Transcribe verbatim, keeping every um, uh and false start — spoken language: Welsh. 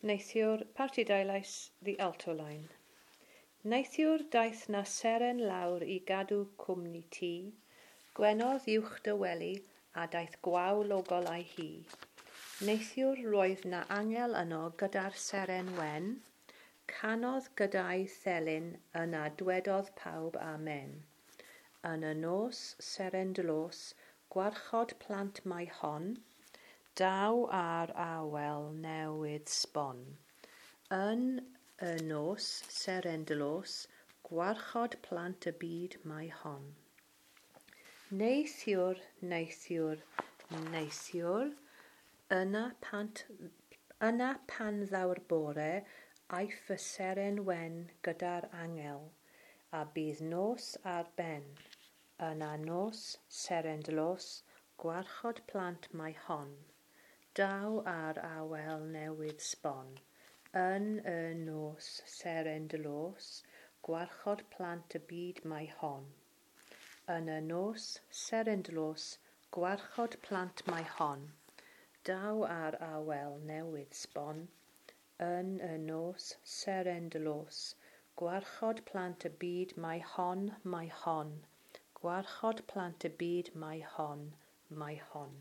Neithiwr, Parti Dau Lais, the alto line. Neithiwr daeth 'na seren lawr i gadw cwmni ti, gwenodd uwch dy wely a daeth gwawl o golau hi. Neithiwr roedd 'na angel yno gyda'r seren wen, canodd gyda'i thelyn yna dwedodd pawb amen. Yn y nos, seren dlos, gwarchod plant mae hon, daw ar awel newydd sbon. Yn y nos, seren dlos, gwarchod plant y byd mae hon. Neithiwr, neithiwr, neithiwr, yna, pant, yna pan ddaw'r bore, aiff y seren wen gyda'r angel, a bydd nos ar ben. Yna nos, seren dlos, gwarchod plant mae hon. Daw ar awel newydd sbon. Yn y nos, seren dlos, gwarchod plant y byd mae hon. Yn y nos, seren dlos, gwarchod plant mae hon. Daw ar awel newydd sbon. Yn y nos, seren dlos, gwarchod plant y byd mae hon, mae hon. Gwarchod plant y byd mae hon, mae hon.